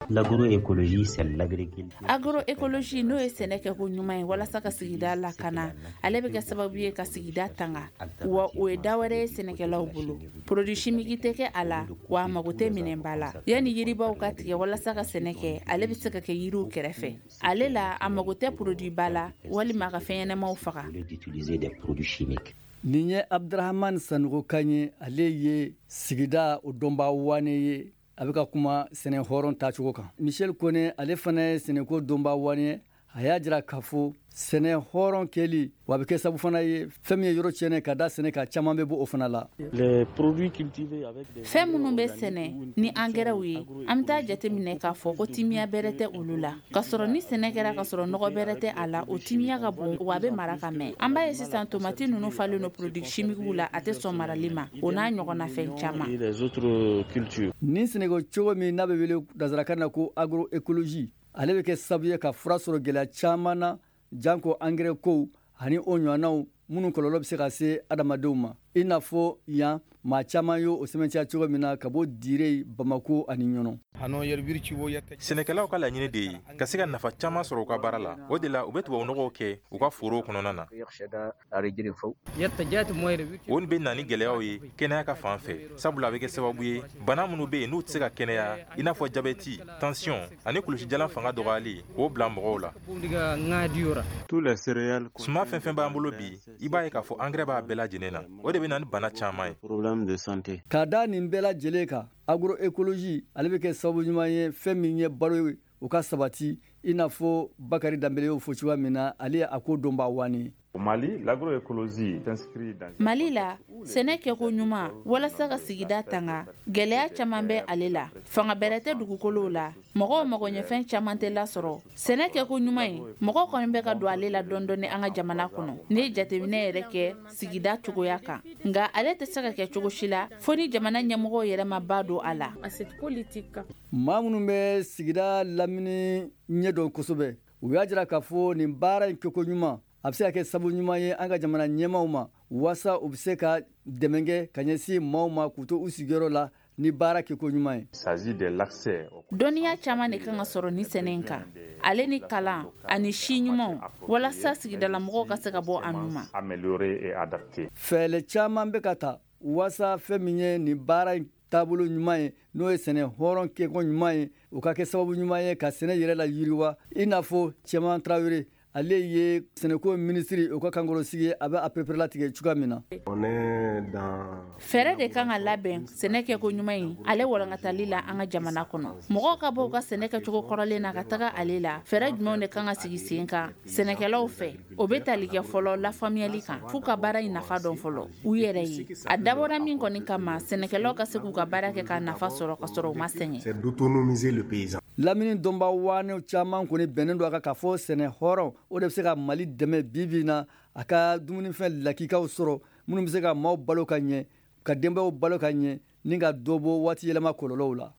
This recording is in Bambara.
L'agroécologie, c'est l'agriculture. Agroécologie, n'o ye sɛnɛ kɛko ɲuman ye walasa ka sigida lakana, ale bɛ kɛ sababu ye ka sigida tanga, wa o ye da wɛrɛ ye sɛnɛkɛlaw bolo. Produit chimique tɛ kɛ a la, wa a mago tɛ minɛnba la. Yanni yiribaw ka tigɛ walasa ka sɛnɛ kɛ, ale bɛ se ka kɛ yiriw kɛrɛfɛ. Ale la, a mago tɛ produit ba la walima ka fɛn ɲɛnamaw faga. Au lieu d'utiliser des produits chimiques. Nin ye Abdurahamani Sanogo kan ye. Ale ye sigida o dɔnba wane ye. A bɛ ka kuma sɛnɛ hɔrɔn tacogo kan. Michel Kone, ale fana ye sɛnɛko dɔnba wane ye. A y'a jira k'a fɔ sɛnɛ hɔrɔn kɛli wa a bɛ kɛ sabu fana ye, fɛn min ye yɔrɔ tiɲɛnen ka da sɛnɛ kan, caman bɛ bɔ o fana la. Fɛn minnu bɛ sɛnɛ ni angɛrɛw ye, an bɛ taa jateminɛ k'a fɔ ko timiya bɛrɛ tɛ olu la, k'a sɔrɔ ni sɛnɛ kɛra ka sɔrɔ nɔgɔ bɛrɛ tɛ a la, o timiya ka bon, wa a bɛ mara ka mɛn. An b'a ye sisan, tomati ninnu falen don produit chimique la, a tɛ sɔn marali ma, o n'a ɲɔgɔnna fɛn caman. Nin sɛnɛko cogo min n'a bɛ wele nansarakan na ko agroécologie, ale bɛ kɛ sababu ye ka fura sɔrɔ gɛlɛya caman na, janko angɛrɛ kow ani o ɲɔgɔnnaw minnu kɔlɔlɔ bɛ se ka se adamadenw ma, i n'a fɔ yan maa caman ye o sɛmɛntiya cogo min na ka bɔ Dire, Bamako ani Ɲɔnɔ. Sɛnɛkɛlaw ka laɲini de ye ka se ka nafa caman sɔrɔ u ka baara la. O de la, u bɛ tubabunɔgɔw kɛ u ka forow kɔnɔna na. O bɛ na ni gɛlɛyaw ye kɛnɛya ka fan fɛ, sabula a bɛ kɛ sababu ye, bana minnu bɛ yen n'u tɛ se ka kɛnɛya, i n'a fɔ jabɛti, tension ani kulusijalan fanga dɔgɔyali, k'o bila mɔgɔw la. Suman fɛn fɛn b'an bolo bi, i b'a ye k'a fɔ angɛrɛ b'a bɛɛ lajɛlen na. O de bɛ na ni bana caman ye. Ka da nin bɛɛ lajɛlen kan, agroécologie, ale bɛ kɛ sababu ɲuman ye, fɛn min ye balo ye, o ka sabati, i n'a fɔ Bakari Danbele y'o fɔ cogoya min na. Ale ye a ko dɔnba waani. Mali, l'agroécologie s'inscrit dans Mali la, sɛnɛ kɛko ɲuman walasa ka sigida tanga, gɛlɛya caman bɛ ale la. Fanga bɛrɛ tɛ dugukolow la, mɔgɔw magoɲɛfɛn caman tɛ lasɔrɔ. Sɛnɛ kɛko ɲuman ye, mɔgɔw kɔni bɛ ka don ale la dɔɔni an ka jamana kɔnɔ, n'i ye jateminɛ yɛrɛ kɛ sigida cogoya kan. Nka ale tɛ se ka kɛ cogo si la fo ni jamana ɲɛmɔgɔw yɛrɛ ma ba don a la. Maa minnu bɛ sigida lamini ɲɛdɔn kosɛbɛ, u y'a jira k'a fɔ nin baara in kɛko ɲuman, a bɛ se ka kɛ sababu ɲuman ye an ka jamana ɲɛmaw ma, waasa u bɛ se ka dɛmɛ kɛ ka ɲɛsin maaw ma k'u to u sigiyɔrɔ la ni baara kɛko ɲuman ye. Dɔnniya caman de kan ka sɔrɔ ni sɛnɛ in kan, ale ni kalan ani si ɲumanw, walasa sigidalamɔgɔw ka se ka bɔ a nu ma. Fɛɛrɛ caman bɛ ka ta waasa fɛn min ye nin baara in taabolo ɲuman ye, n'o ye sɛnɛ hɔrɔn kɛko ɲuman ye, o ka kɛ sababu ɲuman ye ka sɛnɛ yɛrɛ la yiriwa, i n'a fɔ Cɛman Tarawele, ale ye sɛnɛko minisiri, o ka kankɔrɔsigi, a bɛ a pereperelatigɛ cogoya min na. Fɛɛrɛ de kan ka labɛn sɛnɛ kɛko ɲuman in ale walankatali la an ka jamana kɔnɔ, mɔgɔw ka bɔ u ka sɛnɛ kɛcogo kɔrɔlen na ka taga ale la. Fɛɛrɛ jumɛnw de kan ka sigi sen kan sɛnɛkɛlaw fɛ? O bɛ tali kɛ fɔlɔ lafaamuyali kan, f'u ka baara in nafa dɔn fɔlɔ u yɛrɛ ye. A dabɔra min kɔni kama, sɛnɛkɛlaw ka se k'u ka baara kɛ ka nafa sɔrɔ ka sɔrɔ u ma sɛgɛn. Lamini dɔnba waaniw caman kɔni bɛnnen don a kan k'a fɔ sɛnɛ hɔrɔn, o de bɛ se ka Mali dɛmɛ bi bi na, a ka dumunifɛn lakikaw sɔrɔ minnu bɛ se ka maaw balo ka ɲɛ, ka denbayaw balo ka ɲɛ, ni ka dɔ bɔ waati yɛlɛma kɔlɔlɔw la.